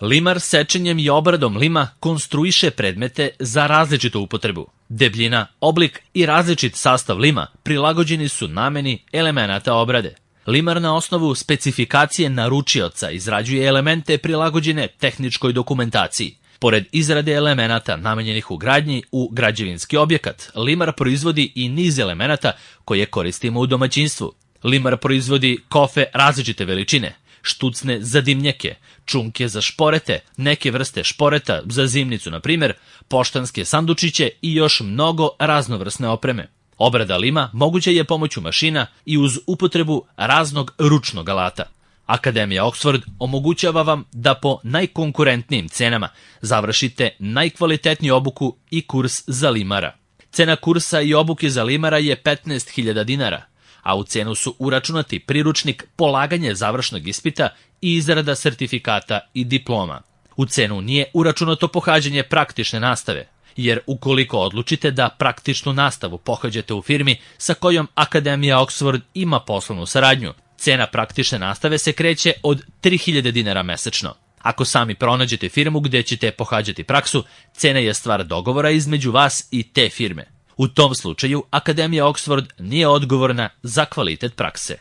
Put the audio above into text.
Limar sečenjem i obradom lima konstruiše predmete za različitu upotrebu. Debljina, oblik i različit sastav lima prilagođeni su nameni elemenata obrade. Limar na osnovu specifikacije naručioca izrađuje elemente prilagođene tehničkoj dokumentaciji. Pored izrade elemenata namenjenih u gradnji u građevinski objekat, limar proizvodi i niz elemenata koje koristimo u domaćinstvu. Limar proizvodi kofe različite veličine, štucne za dimnjake, čunke za šporete, neke vrste šporeta za zimnicu, na primjer, poštanske sandučiće i još mnogo raznovrsne opreme. Obrada lima moguća je pomoću mašina i uz upotrebu raznog ručnog alata. Akademija Oxford omogućava vam da po najkonkurentnijim cenama završite najkvalitetniju obuku i kurs za limara. Cena kursa i obuke za limara je 15.000 dinara, a u cenu su uračunati priručnik, polaganje završnog ispita i izrada sertifikata i diploma. U cenu nije uračunato pohađanje praktične nastave, jer ukoliko odlučite da praktičnu nastavu pohađate u firmi sa kojom Akademija Oxford ima poslovnu saradnju, cena praktične nastave se kreće od 3.000 dinara mesečno. Ako sami pronađete firmu gde ćete pohađati praksu, cena je stvar dogovora između vas i te firme. U tom slučaju Akademija Oxford nije odgovorna za kvalitet prakse.